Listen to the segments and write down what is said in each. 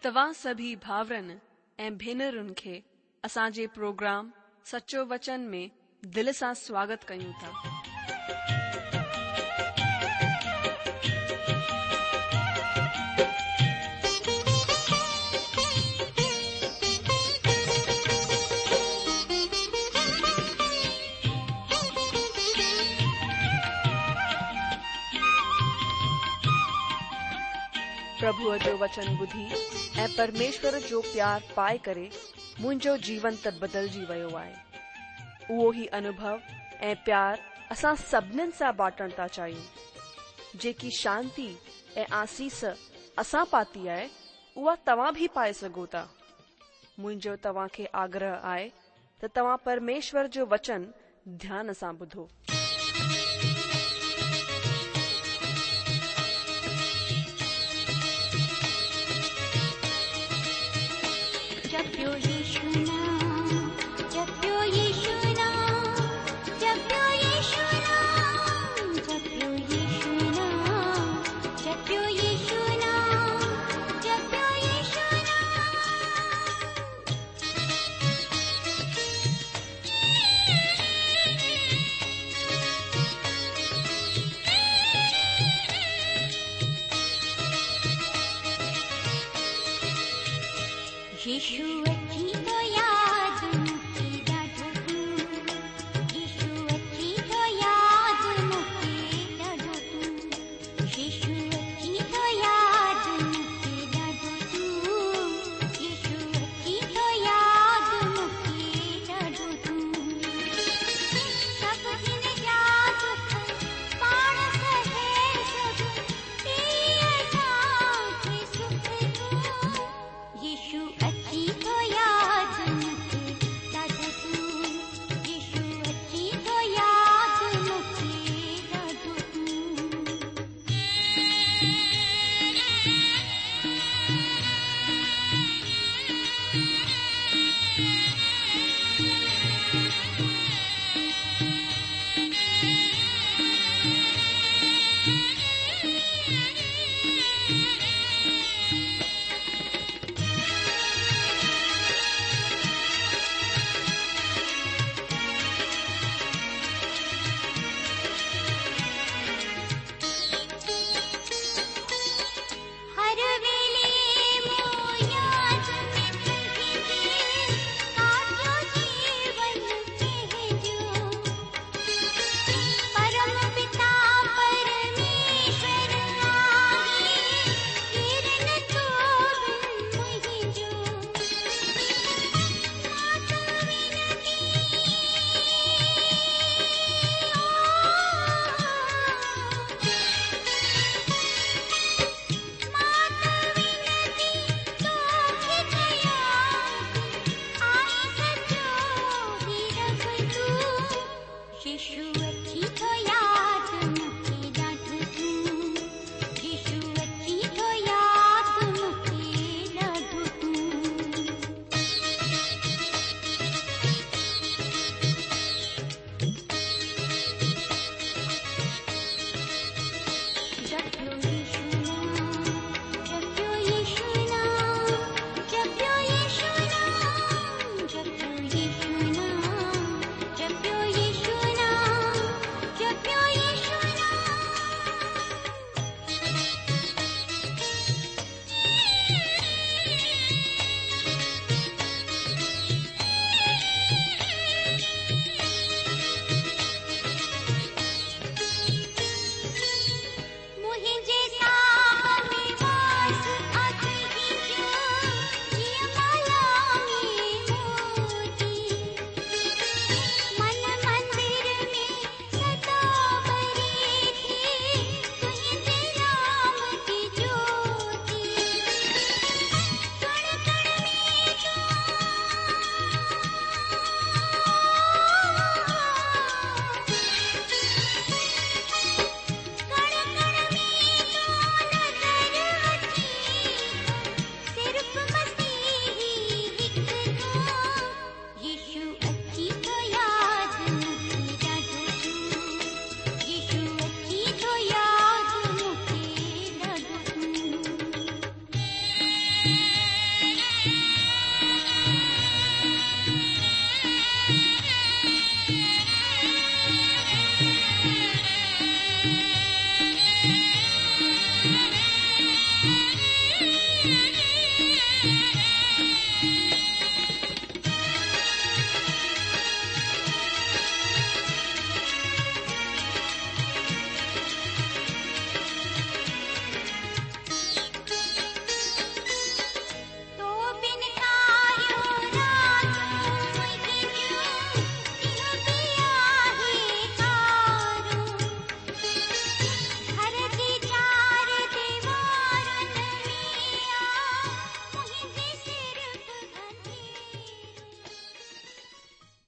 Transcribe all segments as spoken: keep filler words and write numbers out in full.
توهان سڀئي ڀائرن ۽ ڀينرن کي اسان جي پروگرام سچو وچن ۾ دل سان سواگت ڪيون ٿا. پرڀوءَ جو وچن ٻڌي ۽ پرميشور جو پيار پائي ڪري منهنجو جيون ته بدلجي ويو آهي. اهو ئي انوڀو ۽ پيار اسان سڀنين سان بانٽڻ ٿا چاهيون. جيڪي شانتي ۽ آسيس اسان پاتي آهي، اها توهان به پائي سگهو ٿا. منهنجو توهان کي آگرهه آهي ته توهان پرميشور جو وچن ڌيان سان ٻڌو. जप्यो यीशु नाम, जप्यो यीशु नाम, जप्यो यीशु नाम, जप्यो यीशु नाम, जप्यो यीशु नाम, जप्यो यीशु नाम। यीशु अची थो याद मूंखे ॾाढो तूं, यीशु अची थो याद मूंखे ॾाढो तूं, यीशु अची थो याद मूंखे ॾाढो तूं, यीशु अची थो याद मूंखे ॾाढो तूं। सभु हिन जा दुख पाण सहे सभु ॾे असांखे सुख तूं, यीशु अची थो याद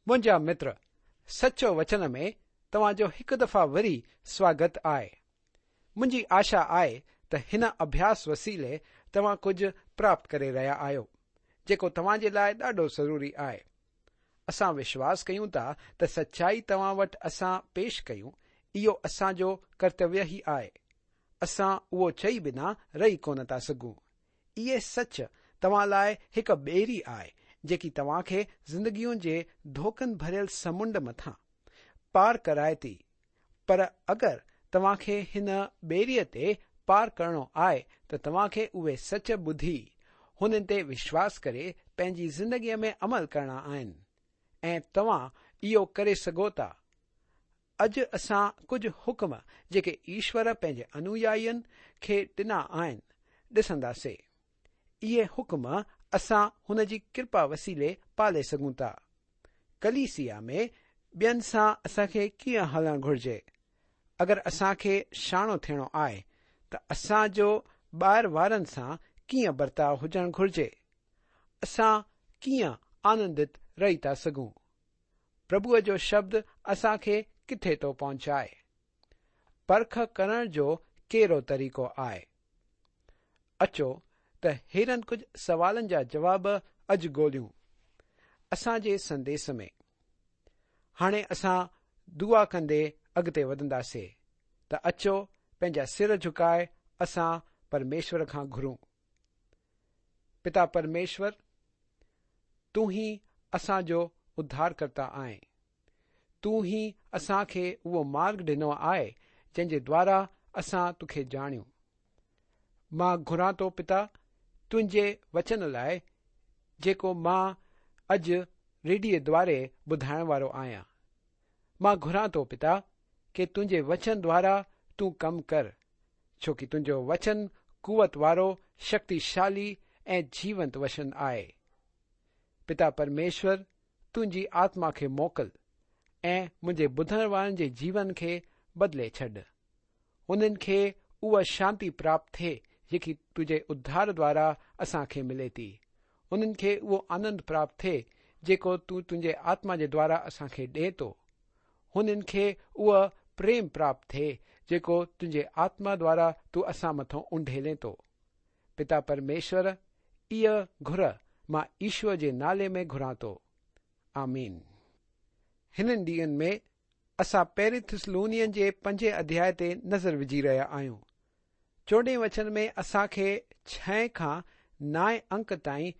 منهنجا متر، سچو وچن ۾ توهان جو هڪ دفعا وري سواگت آهي. منهنجي آشا آهي ته هن اڀياس وسيلي توهان ڪجهه پراپت ڪري رهيا آهيو، جيڪو توهان جي لاءِ ڏاڍو ضروري آهي. اسان وشواس ڪيون ٿا ته سچائي توهان وٽ اسان پيش ڪيون، اهو اسان جو ڪرتويه ئي آهي. اسان اهو چئي بنا رهي ڪونه ٿا سگهون. اهي سچ توهان لاءِ هڪ ٻيڙي آهي، جيڪي توهان کي زندگيءَ جي ڌوڪن ڀريل سمنڊ مٿان پار ڪرائي ٿي. پر اگر توهان کي هن ٻيڙيءَ تي پار ڪرڻو آهي ته توهان کي اهي سچ ٻڌي هنن تي وشواس ڪري پنهنجي زندگيءَ ۾ عمل ڪرڻا آهن ۽ توهان اهو ڪري سگهو ٿا. اڄ اسان ڪجهه حڪم جيڪي ايشور پنهنجي انويائين کي ڏنا آهن ڏسنداسين. اهي حڪم اسان هن جي ڪرپا وسيلي پالي سگهون ٿا. ڪليسيا ۾ ٻين سان اسان کي ڪيئن هلڻ گهرجي؟ اگر اسان کي سياڻو ٿيڻو آهي ته اسان جو ٻاهر وارن سان ڪيئن برتاءُ هجڻ گهرجي؟ اسان ڪيئن آنندت رهي ٿا سگهون؟ پرڀوءَ جو شبد اسان کي ڪٿي ٿو پهچائي؟ پرک ڪرڻ جو ڪهڙو طريقو آهي؟ اچو ته هيڙن ڪجهه سوالن جا جواب اڄ ڳولهيون اسان جي سنديس ۾. هاڻي اسان دعا ڪندي اڳتي وڌنداسين ته اچو پنهنجا سر جهڪائي اسان پرميشور کان گهرون. پتا پرميشور، تون ئي اسان جو اڌارڪرتا آهين. تون ئي اسان کي اهو مارگ ڏنو آهي جنهن جي دوارا اسان توکي ڄاڻيون. مان گهران ٿو پتا تنهنجي وچن لاءِ جيڪو مان اڄ ريڊيي دواري ٻڌائڻ وارو آهيان. مان گهران ٿو پتا ڪه تنهنجي وچن دوارا تون ڪم ڪر، ڇو ڪه تنهنجو وچن قوت وارو، شڪتيشالي ۽ جيونت وچن آهي. پتا پرميشور، تنهنجي آتما کي موڪل ۽ منهنجي ٻڌڻ وارن جي جيون کي بدلي ڇڏ. هنن کي اها شانتي پراپت ٿئي جيڪي تنهنجي اڌار دوارا اسان کي ملي ٿي. هنن کي اهو آنند پراپت ٿئي جيڪو تون تنهنجي آتما جي دوارا اسان کي ڏئي ٿو. هنن کي اها پريم پراپت ٿئي جيڪو تنهنجي آتما دوارا تون اسان مٿان اونڊيلين ٿو. پتا پرميشور، اها گهر مان ايشور جي نالي ۾ گهران ٿو. آمين. هنن ڏينهن ۾ اسان پهرين ٿيسلونين جي پنجين اڌياءِ تي نظر وجهي رهيا آهيون. چوڏهين وچن ۾ اسان کي ڇهين کان نائين انڪ تائين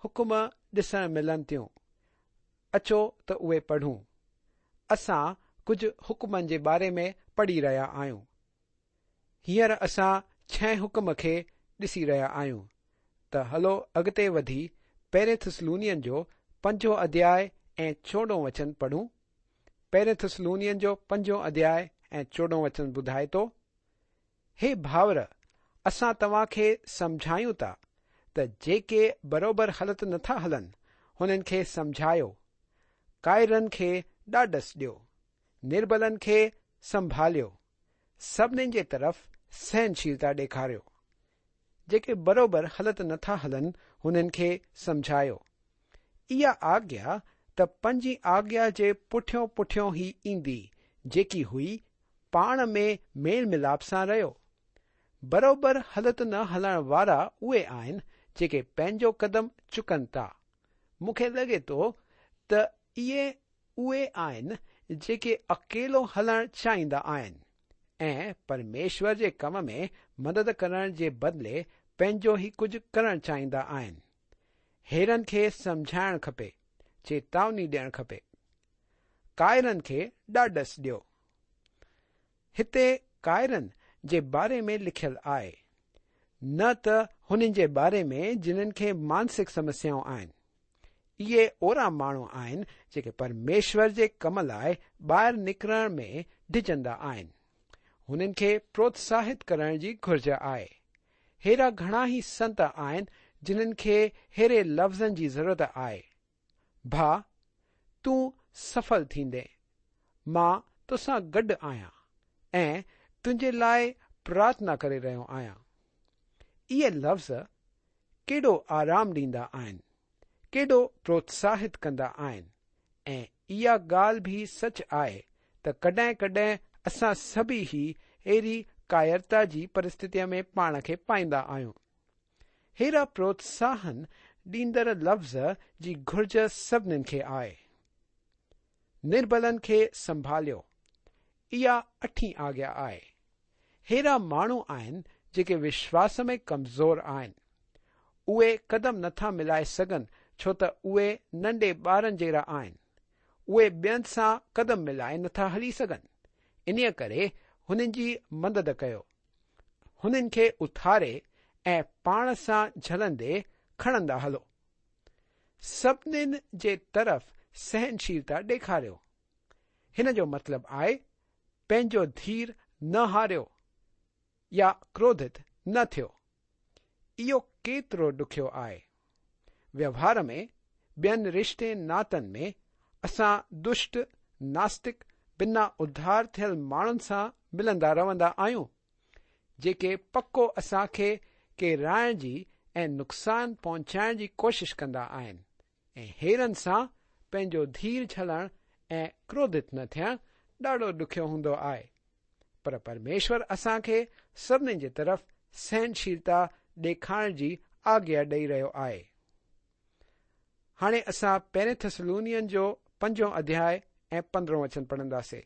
حڪم ڏسڻ ملن ٿيون. اچو ته اهي پڙهون. اسان ڪجهه حڪمن جي باري ۾ پڙهي رهيا آهيون. هينئر اسان ڇهين حڪم کي ڏسي رهيا آهيون ته هلو اڳتي وڌي پهرين ٿيسلونين جو پنجون اڌياءِ ۽ چوڏهون وچن پڙهون. پهرين ٿيسلونين جو پنجون اڌياءِ ۽ چوڏهون وچن ٻڌائي ٿو، هي ڀائر، اسان توهان کي سمجهايون ٿا ته جيڪي بروبر هلت نٿا هلن هنن کي سمجهايو، ڪائرن کي ڏاڏس ڏيو، نربلن کي سنڀاليو، سڀنين جي طرف سهنشيلتا ڏيکاريو. جيڪي بروبر هلت نٿا هلن هنن کي سمجهايو. اها آگيا ته پنجين آگيا جي پٺيون پٺيون ئي ايندي، جيڪي هئي پاڻ ۾ ميل ملاپ سان رهيو. بروبر هلت نه هلڻ وارا اهي آهن جيڪي پنهنجو قدم چڪن ٿا. مون کي لڳي ٿو ته اهي اهي آهن جيڪي اڪيلو هلڻ چاهيندا آهن ۽ پرميشور جي ڪم ۾ مدد ڪرڻ جي بدلي پنهنجو ئي ڪجهه ڪرڻ چاهيندا آهن. هيڙن کي سمجهائڻ کپي، چيتاوني ڏيڻ کپي. ڪائرن کي ڏاڏس ڏيو. هتي ڪائرن جي باري ۾ لکيل آهي، نه ته هنن جي باري ۾ جنن کي مانسڪ سمسيائون آهن. اهي اهڙا ماڻهو آهن جيڪي پرميشور جي ڪم لاءِ ٻاهر نڪرڻ ۾ ڊڄندا آهن. هنن کي پروتساهت ڪرڻ جي گهرج آهي. هيڙا گهڻا ئي سنت آهن جنن کي هيڙي لفظن جي ضرورت آهي. ڀاءُ، تون سڦل ٿيندين، مان توسان گڏ آهيان ۽ تنهنجي لاءِ پرارٿنا ڪري رهيو آهيان. اهي لفظ ڪيڏو آرام ڏيندا آهن، ڪيڏو پروتساهت ڪندا آهن ऐं इहा ॻाल्हि बि सच आहे त कॾहिं कॾहिं असां सभई ई अहिड़ी कायरता जी परिस्थितीअ में पाण खे पाईंदा आहियूं। अहिड़ा प्रोत्साहन ॾींदड़ लफ़्ज़ जी घुर्ज सभिनीनि खे आहे। निर्बलनि खे संभालियो, इहा अठीं आज्ञा आहे। अहिड़ा माण्हू आहिनि जेके विश्वास में कमज़ोर आहिनि। उहे कदम नथा मिलाए सघनि छो त उहे नंढे ॿारनि जहिड़ा आहिनि। उहे ॿियनि सां कदम मिलाए नथा हली सघनि। इन्हीअ करे हुननि जी मदद कयो, हुननि खे उथारे ऐं पाण सां झलंदे खणंदा हलो। सभिनीनि जे तरफ़ सहनशीलता ॾेखारियो। हिन जो मतिलबु आहे पंहिंजो धीर न हारियो या क्रोधित न थियो। इहो केतिरो ॾुखियो आहे। व्यवहार में, ॿियनि रिश्ते नातनि में असां दुष्ट, नास्तिक, बिना उद्धार थियल माण्हुनि सां मिलंदा रहंदा आहियूं, जेके पको असांखे केराइण जी ऐं नुक़सान पहुचाइण जी कोशिश कंदा आहिनि ऐं हेरनि सां पंहिंजो धीर झलणु ऐं क्रोधित न थियणु ॾाढो ॾुखियो हूंदो आहे। पर परमेश्वर असांखे सभिनीनि जे तरफ़ सहनशीलता ॾेखारण जी आज्ञा ॾेई रहियो आहे। हाणे असां पहिरें थेसलोनियन जो पंजों अध्याय ऐं पंद्रहों वचन पढ़ंदासीं।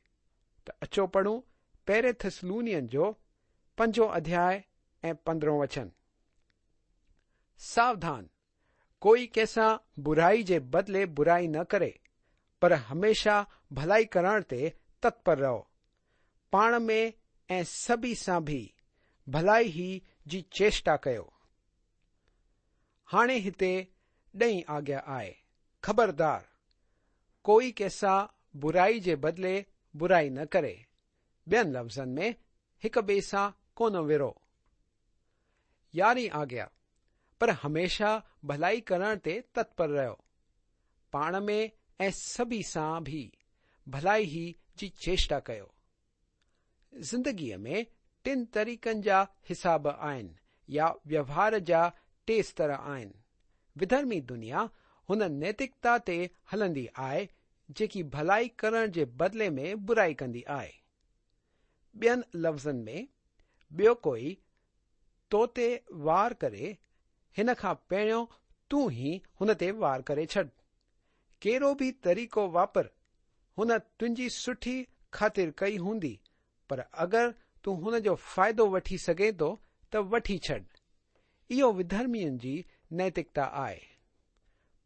त अचो पढ़ूं पहिरें थेसलोनियन जो पंजों अध्याय ऐं पंद्रहों वचन। सावधान, कोई कंहिंसां बुराई जे बदिले बुराई न करे, पर हमेशा भलाई करण ते तत्पर रहो। पाण में ऐं सभिनी सां बि भलाई ही जी चेष्टा कयो। हाणे हिते ॾहीं आज्ञा आहे, ख़बरदार, कोई कंहिंसां बुराई जे बदिले बुराई न करे। ॿियनि लफ़्ज़नि में हिक ॿिए सां कोन विरो। यारहीं आज्ञा, पर हमेशा भलाई करण ते तत्पर रहो। पाण में ऐं सभिनी सां बि भलाई ही जी चेष्टा कयो। ज़िंदगीअ में टिनि तरीक़नि जा हिसाब आहिनि या व्यवहार जा टे स्तर आहिनि। विधर्मी दुनिया हुन नैतिकता ते हलंदी आहे जेकी भलाई करण जे बदिले में बुराई कंदी आहे। ॿियनि लफ़्ज़नि में, ॿियो कोई तो ते वार करे, हिन खां पहिरियों तूं ई हुन ते वार करे छॾ। कहिड़ो बि तरीक़ो वापर, हुन तुंहिंजी सुठी ख़ातिर कई हूंदी, पर अगरि तूं हुन जो फ़ाइदो वठी सघें थो त वठी छॾ। इहो विधर्मियुनि जी नैतिकता आहे।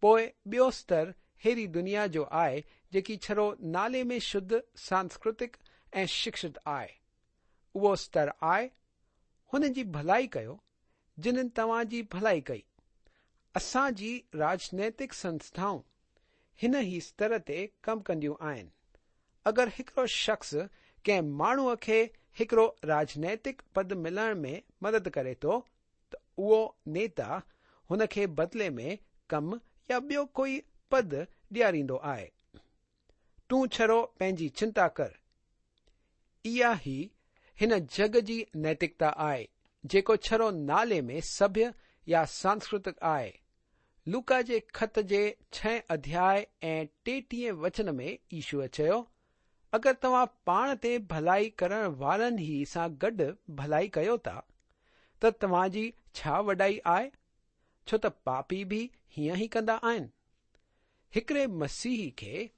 पोइ ॿियो स्तर अहिड़ी दुनिया जो आहे जेकी छड़ो नाले में शुद्ध, सांस्कृतिक ऐं शिक्षित आहे। उहो स्तर आहे हुन जी भलाई कयो जिन्हनि तव्हां जी भलाई कई। असांजी राजनैतिक संस्थाऊं हिन ई स्तर ते कमु कंदियूं आहिनि। अगरि हिकिड़ो शख़्स कंहिं माण्हूअ खे हिकिड़ो राजनैतिक पद मिलण में मदद करे थो त उहो नेता हुन खे बदिले में कमु या ॿियो कोई पद ॾियारींदो आहे। तूं छड़ो पंहिंजी चिंता कर। इहा ई हिन जग जी नैतिकता आहे जेको छड़ो नाले में सभ्य या सांस्कृतिक आहे। लूका जे ख़त जे छहें अध्याय ऐं टेटीह वचन में ईशूअ चयो, अगरि तव्हां पाण ते भलाई करण वारनि ई सां गॾु भलाई कयो था त तव्हांजी छा वॾाई आहे? छो त पापी बि हीअं ई कंदा आहिनि। हिकिड़े मसीही खे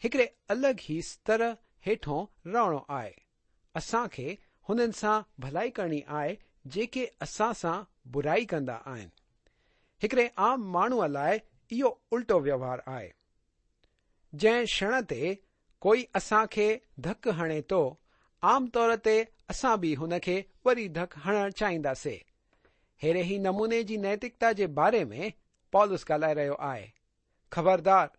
हिकिड़े अलॻि ई स्तर हेठो रहणो आहे। असांखे हुननि सां भलाई करणी आहे जेके असां सां बुराई कंदा आहिनि। हिकिड़े आम माण्हूअ लाइ इहो उल्टो व्यवहार आहे। जंहिं क्षण ते कोई असांखे धक हणे थो, आम तौर ते असां बि हुनखे वरी धक हणणु चाहींदासीं। अहिड़े ई नमूने जी नैतिकता जे बारे में पॉलुस ॻाल्हाए रहियो आहे। ख़बरदार,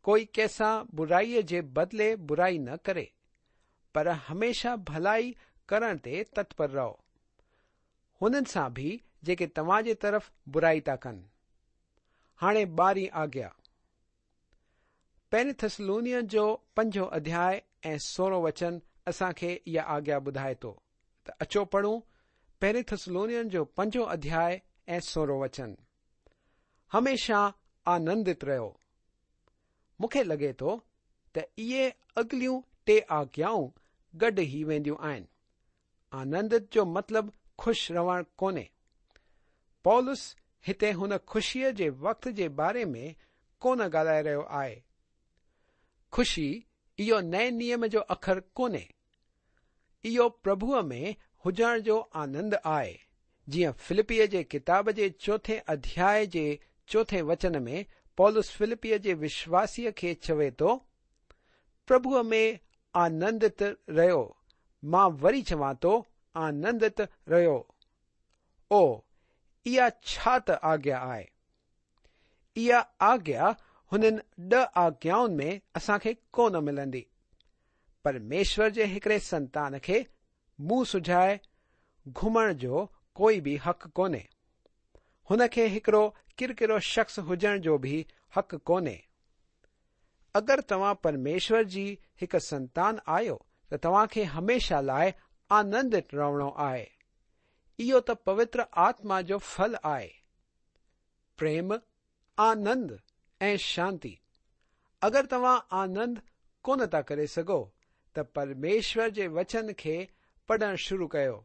कोई कंहिंसां बुराईअ जे बदिले बुराई न करे, पर हमेशा भलाई करण ते तत्पर रहो, हुननि सां बि जेके तव्हांजे तरफ़ बुराई था कनि। हाणे ॿारहीं आज्ञा। पहिरें थेसलोनियन जो पंजों अध्याय ऐं सोरहों वचन असांखे इहा आज्ञा ॿुधाए थो। त अचो पढ़ूं पहिरें थेसलोनियन जो पंजों अध्याय ऐं सोरहों वचन। हमेशा आनंदित रहो। मूंखे लॻे थो ته اهي اڳليون ٽي آگيائون گڏ ئي وينديون آهن. آنندت جو مطلب خوش رهڻ ڪونهي. پولس هتي هن خوشيءَ جي وقت جي باري ۾ ڪونه ڳالهائي رهيو آهي. خوشي اهو نئين نيم جو اکر ڪونهي. اهو پرڀوءَ ۾ هجڻ جو آنند آهي. جيئن فلپيءَ جي ڪتاب جي چوٿين اڌياءِ جي چوٿين وچن ۾ پولس فلپيءَ جي وشواسيءَ کي چوي ٿو، پرڀوءَ ۾ آنندت رهيو. مان وري چوان ٿو، آنندت رهيو. او اها ڇا ته آگيا آهي. اها آگيا هنن ڏهه آگيائن ۾ اسان کي ڪونه ملندي. پرميشور جي هڪڙي سنتان کي منهن سجهائي گهمڻ جو ڪوئي به حق ڪونهي. هن کي هڪڙو ڪرڪرو شخص هجڻ جو به حق ڪونهي. اگر توهان پرميشور جي هڪ سنتان آهيو ته توهان کي هميشه لاءِ آنندت رهڻو آهي. اهو ته پوتر آتما جو ڦل آهي. پريم، آنند ۽ شانتي. اگر توهان آنند ڪونه ٿا ڪري سگهو ته پرميشور جي وچن کي پڙهڻ شروع ڪيو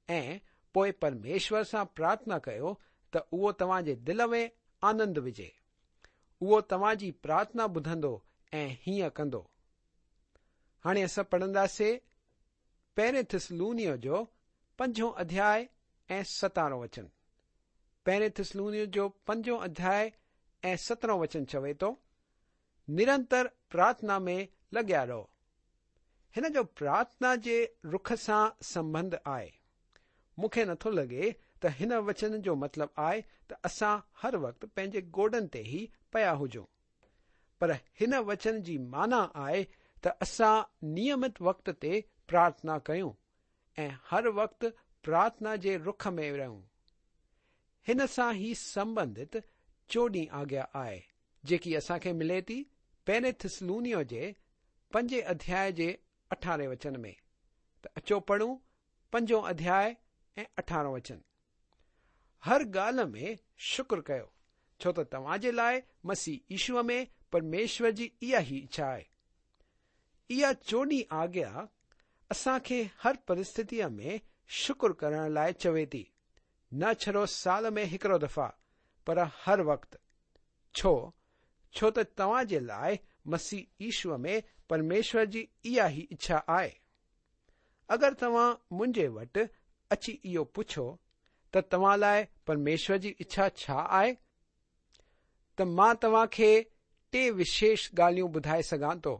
۽ پوءِ پرميشور سان پرارٿنا ڪيو ته اهو توهان جي دل ۾ آنند وجهي. اهو توهان جي پرارٿنا ٻڌندو ۽ هيئن ڪندو. هاڻي اسان پڙهنداسين پهرين ٿسلونيو جو پنجون اڌياءِ ۽ سترهون وچن. پهرين ٿسلونيو جو پنجون اڌياءِ ۽ سترهون وچن چوي ٿو، نرنتر پرارٿنا ۾ لڳيا رهو. هن جو پرارٿنا جي رخ سان سنٻنڌ آهي. مون کي نٿو لڳي ته هن وچن جو مطلب آهي ته اسان هر وقت پنهنجي گوڏن تي ئي پيا هجون، پر هن وچن جي معنيٰ آهي ته اسان نيمت وقت تي پرارٿنا ڪيون ۽ هر وقت پرارٿنا جي رخ ۾ رهون. هن سان ئي سنٻنڌت چوڏهين آگيا آهي، جيڪي اسان کي ملي ٿي پهرين ٿسلونيو جي پنجين اڌياءِ جي اٺارهين وچن ۾. ته اچو پڙهون پنجون اڌياءِ ۽ اٺارهون وچن. هر ڳالهه ۾ شڪر ڪيو، ڇو ته توهان جي لاءِ مسيح يشوءَ ۾ پرميشور جي اها ئي اڇا آهي. اها چوڏهين آگيا اسان کي هر پرسٿتيءَ ۾ شڪر ڪرڻ لاءِ چوي ٿي، نه ڇڙو سال ۾ هڪڙو دفعا، پر هر وقت. ڇو؟ ڇو ته توهان جي لاءِ مسيح يشوءَ ۾ پرميشور جي اها ئي اڇا آهي. اگر توهان منهنجي وٽ اچي اهو پڇو ته توهان لاءِ پرميشور جي اڇا ڇا آهي، ته مان توهان کي ٽي وشيش ڳالهيون ٻڌائي سگهان ٿو،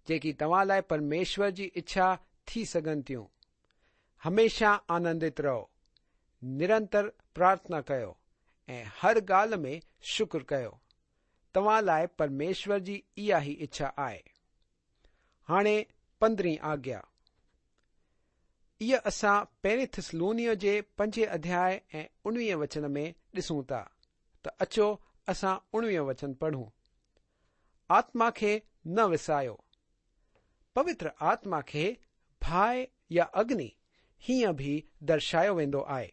جيڪي توهان لاءِ پرميشور جي اڇا ٿي سگهن ٿيون. هميشه آنندت رهو، نرنتر پرارٿنا ڪيو ۽ هر ڳالهه ۾ شڪر ڪيو. توهان لاءِ پرميشور جي اها ئي اڇا آهي. هاڻي پندرهين آگيا. اها اسان پهرين ٿسلونيو جي پنجين اڌياءِ ۽ اڻويهين وچن ۾ ڏسون ٿا. ته اچو اسان اڻويهون وچن پڙهون. آتما کي نه وسايو. پوتر آتما کي باهه يا اگني هيئن به درشايو ويندو آهي.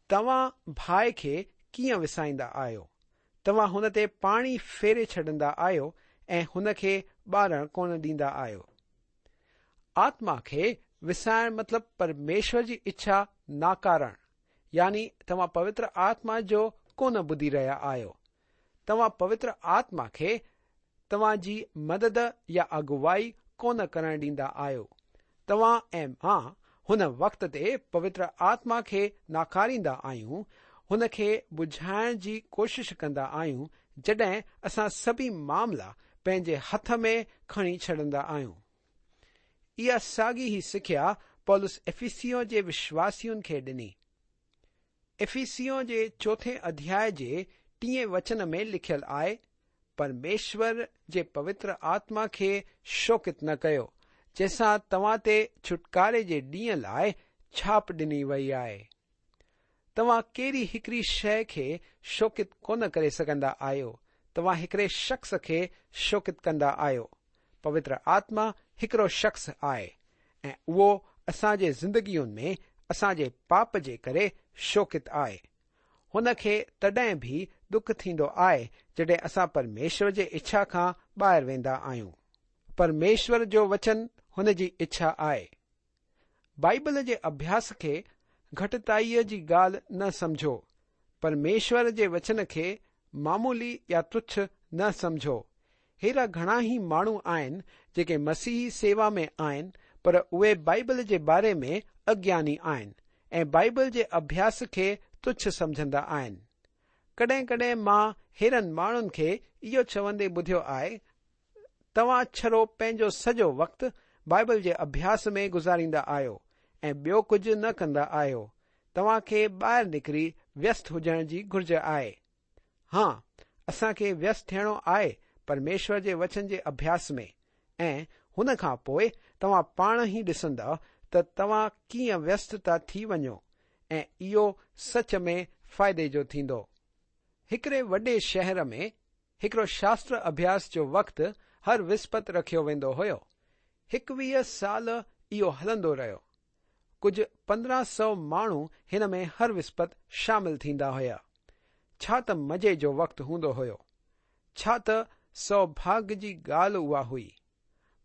توهان باهه کي ڪيئن وسائيندا آهيو؟ توهان هن تي پاڻي ڦيري ڇڏيندا آهيو ۽ هن کي ٻارڻ ڪونه ڏيندا آهيو. آتما کي وسائڻ مطلب پرميشور جي اڇا ناڪارڻ، يعني توهان پوتر آتما جو ڪونه ٻڌي رهيا آهيو. توهان پوتر آتما کي توهان جي مدد يا اڳوائي ڪونه ڪرڻ ڏيندا آهيو. توهان ۽ مان هن وقت تي پوتر آتما کي ناڪاريندا آهيون، هن کي ٻجهائڻ جي ڪوشش ڪندا آهيون، جڏهن اسان سڀئي معاملا پنهنجي هٿ ۾ کڻي ڇڏيندا آهيون. اها ساڳي ئي سکيا پولس افسيون جي وشواسين کي ڏني. افسيون جي چوٿين اڌياءِ جي ٽئين وچن ۾ لکيل آهي، پرميشور جي پوتر آتما کي شوڪت نه ڪيو، جنهن سان توهان تي ڇوٽڪاري جي ڏينهن لاءِ ڇاپ ڏني وئي آهي. توهان ڪهڙي هڪڙي شيءِ کي شوڪت ڪونه ڪري سگهندا آهيو، توهان هڪڙي شخص کي شوڪت ڪندا آهيو. پوتر آتما هڪڙو شخص آهي ۽ اهو اسان جي زندگين ۾ اسان جي پاپ جي ڪري شوڪت آهي. هن کي تڏهن به ڏک ٿيندو آهي جڏهن اسان پرميشور جي اڇا کان ٻاهر ويندا آهيون. پرميشور جو وچن هن جي اڇا آهي. بائيبل جي اڀياس کي گهٽتائيءَ جي ڳالهه نه سمجهو. پرميشور جي وچن کي معمولي يا تڇ نه سمجهو. ههڙا گهڻا ئي ماڻهو آهن جيڪي مسيحي سيوا ۾ آهن، پر اهي بائيبل جي باري ۾ اگياني آهن ۽ بائيبل جي اڀياس کي تڇ سمجهندا آهن. ڪڏهن ڪڏهن مان ههڙن ماڻهن کي اهو چوندي ٻڌيو آهي، توهان ڇڙو پنهنجو سڄو وقت بائيبل جي اڀياس ۾ گذاريندا آهيو ۽ ٻيو ڪجهه نه ڪندا آهيو. توهان کي ٻاهر نڪري ويست هجڻ جي گهرج آهي. ها، اسان کي ويست ٿيڻو آهي پرميشور جي وچن جي اڀياس ۾، ۽ هن کان پوءِ توهان پاڻ ئي ڏسندا ته توهان ڪيئن ويست ٿا ٿي وڃو ۽ اهو سچ ۾ فائدي جو ٿيندو. هڪڙي وڏي شهر ۾ هڪڙو شاستر اڀياس جو وقت هر وسپت رکيو ويندو هيو. هڪويهه سال اهو هلندو رهيو. ڪجهه پندرهن سؤ ماڻهو هن ۾ هر وسپت شامل ٿيندا هئا. ڇا ته مزي جو وقت هوندو هيو. ڇا ته سوڀاڳ جي ڳالهه اها هئي.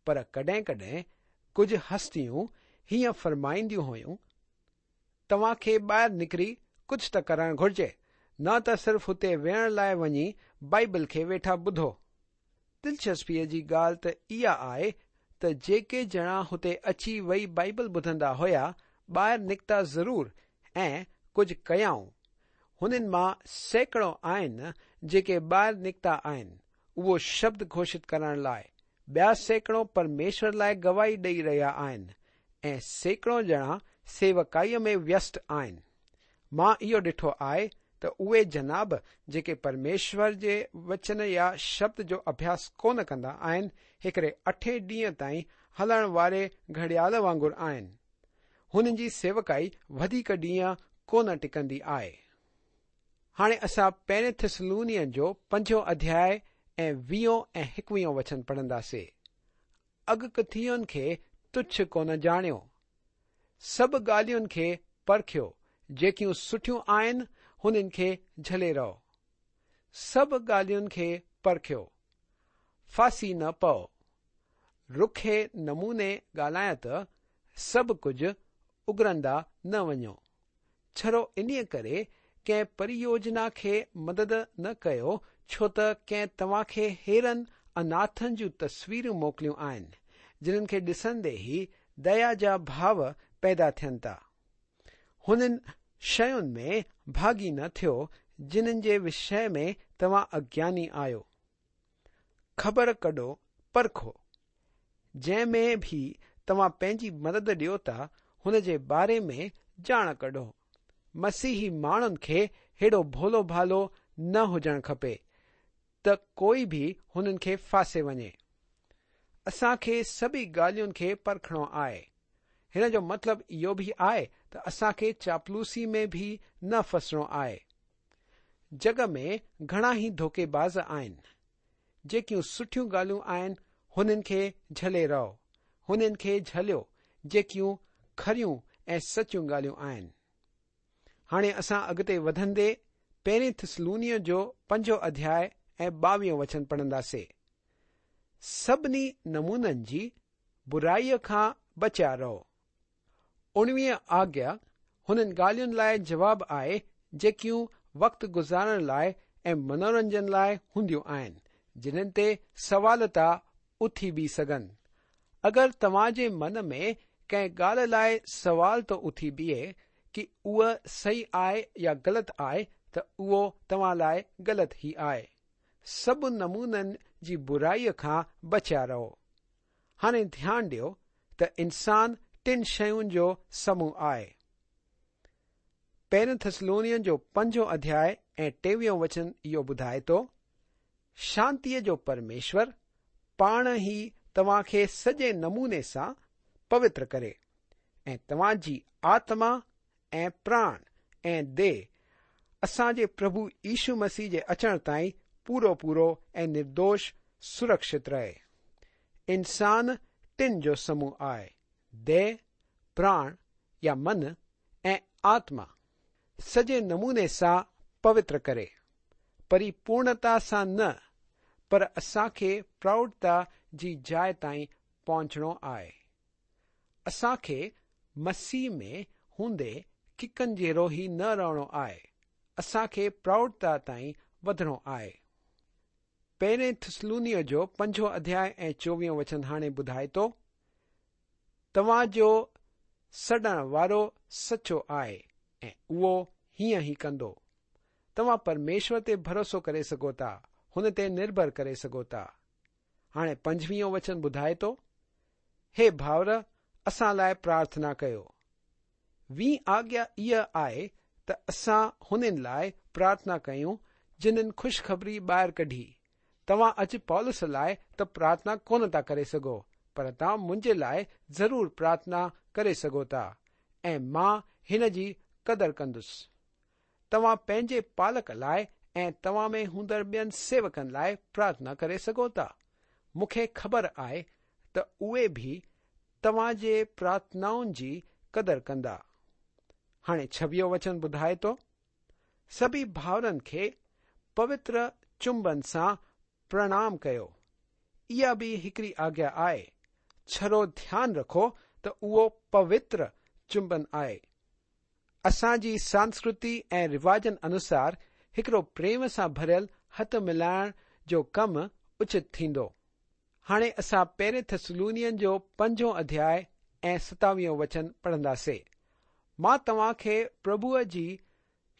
پر ڪڏهن ڪڏهن ڪجهه هستيون هيئن فرمائينديون هيون، توهان کي ٻاهر نڪري ڪجهه ته ڪرڻ گهرجي، نه ته صرف هتي ويهڻ لاءِ وڃي بائيبل کي ويٺا ٻڌو. دلچسپيءَ جي ڳالهه ته اها آهي ته جيڪي ڄڻا هتي اچي ويهي بائيبل ٻڌندا هئا، ٻاهر نڪتا ضرور ۽ ڪجهه ڪيائون. هنن مان سيڪڙو آهن جيڪي ٻاهر نڪتا آهن اهو شبد گهوشت ڪرڻ لاءِ، ٻيا سيڪڙو پرميشور لاءِ گواهي ڏيئي رهيا آهن ۽ سيڪڙو ڄڻا سيوڪائيءَ ۾ ويست آهن. مان اهو ڏٺو آهي ته اهي جناب جيڪي پرميشور جي وچن يا شبد جو اڀياس ڪونه ڪندا آهن، هڪڙي اٺين ڏينهن تائين هلڻ واري گهڙيال وانگر آهن. هنن جي سيوڪائي وڌيڪ ڏينهن ڪونه ٽڪندي آهي. هاڻي اسان پهرين ٿيسلونين جو پنجون اڌياءِ ۽ ويهون ۽ هڪويهون وچن پڙهنداسين. اڳڪٿين کي تڇ ڪونه ڄاڻيو، سڀ ڳالهين کي پرکيو، جيڪيون سٺيون آهن هنن کي جهلي رهو. سڀ ڳالهين کي پرکيو، ڦاسي نه پئو. رکي نموني ڳالهايان ته سڀ ڪجهه اگرندا نه وڃو. ڇڙو انهيءَ ڪري ڪنهن پريوجنا کي مدد نه ڪيو، ڇو ته ڪنهن توهان کي هيڙن اناٿن جون تصويرون موڪليون آهن، جنهن کي ڏسندي ئي ديا جا ڀاو پيدا ٿين ٿا. هنن شين ۾ ڀاڳي نه ٿيو جنهن جي وشي ۾ توهان اگياني آهيو. خبر ڪڍو، پرکو. جنهن ۾ به توهان پنهنجي مدد ڏيو ٿا هن جي باري ۾ ڄاڻ ڪڍو. مسيحي ماڻهن کي هيڏو ڀولو ڀالو نه هجڻ کپي ته ڪوئي به هنن کي ڦاسي وڃي. اسان کي سڀئي ڳالهين کي پرکڻو آهي. هن جو مطلب اهو به آهي ته اسان کي چاپلوسي ۾ به نه ڦسڻو آهي. جڳ ۾ گهڻا ئي ڌوڪيباز آهن. جيڪيون سٺيون ڳالهيون آهن هنن کي جهلي رهو، هنن کي جهليو جيڪيون کريون ۽ سچيون ڳالهيون آهن. هاڻي اسان اڳتي وڌندي پهرين ٿيسلونيءَ جو پنجون اڌياءِ ۽ ٻاويهون وچن پڙهنداسين. سڀني نمونن جي برائيءَ کان بچيا رهو. اڻويهه آگيا هنن ڳالهين لاءِ جواب آهي جيڪيون وقت گذارڻ لاءِ ۽ منورنجن لاءِ هونديون آهن، جنهن تي سوال ٿا اٿي بيهه سگهن. اگر توهان جي من ۾ ڪنهن ڳالهه لاءِ سوال ٿو اٿي بيهي ڪه اها صحيح آهي يا غلط آهي، ته اهو توهان لاءِ غلط ئي آهي. سڀ نمونن جي برائيءَ کان بچيا رهو. هاڻي ڌيان ڏيو ته انسان ٽن شين جو سموهه آهي. پهرين ٿيسلونين جو پنجون اڌياءِ ۽ ٽيويهون وچن اهو ٻڌائي ٿو، شانتيءَ جو پرميشور پاڻ ئي توهان کي سڄي نموني سان پوتر ڪري ۽ توهان جي آتما ۽ پراڻ ۽ ديهه اسان جي پرڀو يشو مسيح جي اچڻ تائين پورو پورو ۽ نردوش سرڪشت رهي. انسان ٽن جو سموهه آهي، ديهه، پراڻ يا من ۽ آتما. سڄي نموني سان پوتر ڪري، پريپورڻتا سان نه، پر असां खे प्रौढ़ता जी जाइ ताईं पहुचणो आहे। असां खे मसीह में हूंदे ڪڪن जहिड़ो ई न रहणो आहे। असां खे प्रौढ़ता ताईं वधणो आहे। पहिरें थिस्सलुनीयो जो पंजों अध्याय ऐं चोवीहों वचन हाणे ॿुधाए थो, तव्हांजो सॾण वारो सचो आहे ऐं उहो हीअं ई कंदो। तव्हां परमेश्वर ते भरोसो करे सघो था, हुन ते निर्भर करे सघो था। हाणे पंजवीहों वचन ॿुधाए थो, हे भाउर, असां लाइ प्रार्थना कयो। वीं आज्ञा इहा आहे त असां हुननि लाइ प्रार्थना कयूं जिन्हनि ख़ुशख़बरी ॿाहिरि कढी। तव्हां अॼु पौलुस लाइ त प्रार्थना कोन था करे सघो, पर तव्हां मुंहिंजे लाइ ज़रूर प्रार्थना करे सघो था ऐं मां हिन जी क़दर कंदुसि। तव्हां पंहिंजे पालक लाइ ऐं तव्हां में हूंदड़ ॿियनि सेवकनि लाइ प्रार्थना करे सघो था। मूंखे ख़बर आहे त उहे बि तव्हांजे प्रार्थनाउनि जी क़दर कंदा। हाणे छवीहों वचन ॿुधाए थो, सभिनी भाउरनि खे पवित्र चुंबन सां प्रणाम कयो। इहा बि हिकिड़ी आज्ञा आहे। छड़ो ध्यानु रखो त उहो पवित्र चुंबन आहे। असांजी संस्कृति ऐं रिवाजनि अनुसार हिकिड़ो प्रेम सां भरियल हथ मिलाइण जो कमु उचित थींदो। हाणे असां पहिरें थिस्सलुनीयनि जो पंजों अध्याय ऐं सतावीहों वचन पढ़ंदासीं। मां तव्हां खे प्रभुअ जी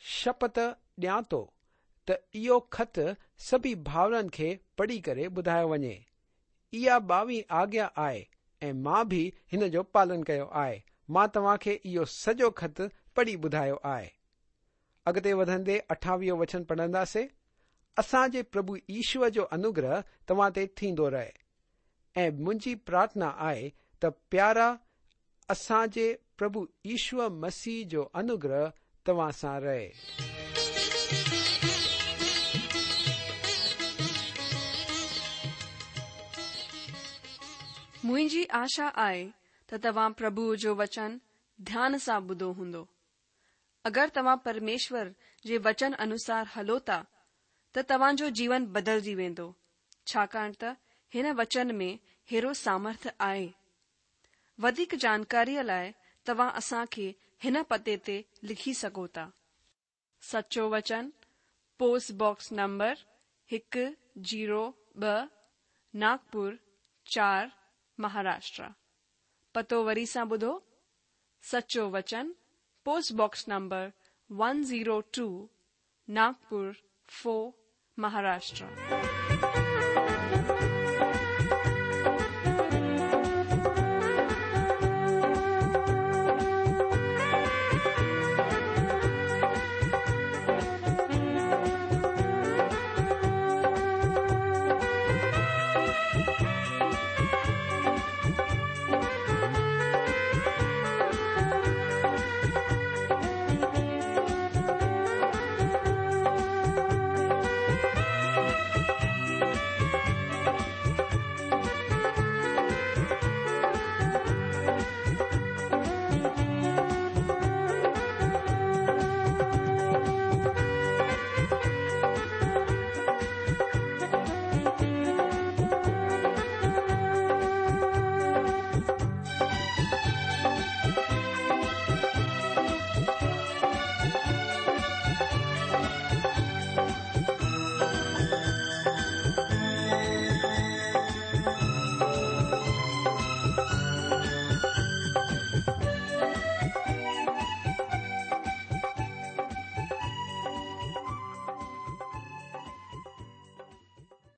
शपथ ॾियां थो त इहो ख़त सभिनी भाउरनि खे पढ़ी करे ॿुधायो वञे। इहा ॿावीह आज्ञा आहे ऐं मां बि हिन जो पालन कयो आहे। मां तव्हां खे इहो सॼो ख़त पढ़ी ॿुधायो आहे। अॻिते वधंदे अठावीहों वचन पढ़ंदासीं, असांजे प्रभु ईश्वर जो अनुग्रह तव्हां ते थींदो रहे ऐं मुंहिंजी प्रार्थना आहे त प्यारा असांजे प्रभु ईश्वर मसीह जो अनुग्रह तव्हां सां रहे। मुंहिंजी आशा आहे त तव्हां प्रभुअ जो वचन ध्यान सां ॿुधो हूंदो। अगरि तव्हां परमेश्वर जे वचन अनुसार हलो था त तव्हांजो जीवन बदिलजी वेंदो, छाकाणि त हिन वचन में हेरो सामर्थ आहे। वधीक जानकारीअ लाइ तव्हां असां खे हिन पते ते लिखी सघो था। सचो वचन, पोस्ट बॉक्स नंबर हिकु ज़ीरो ॿ, नागपुर चार, महाराष्ट्र। पतो वरी सां ॿुधो, सचो वचन, post box number one zero two, Nagpur four, Maharashtra.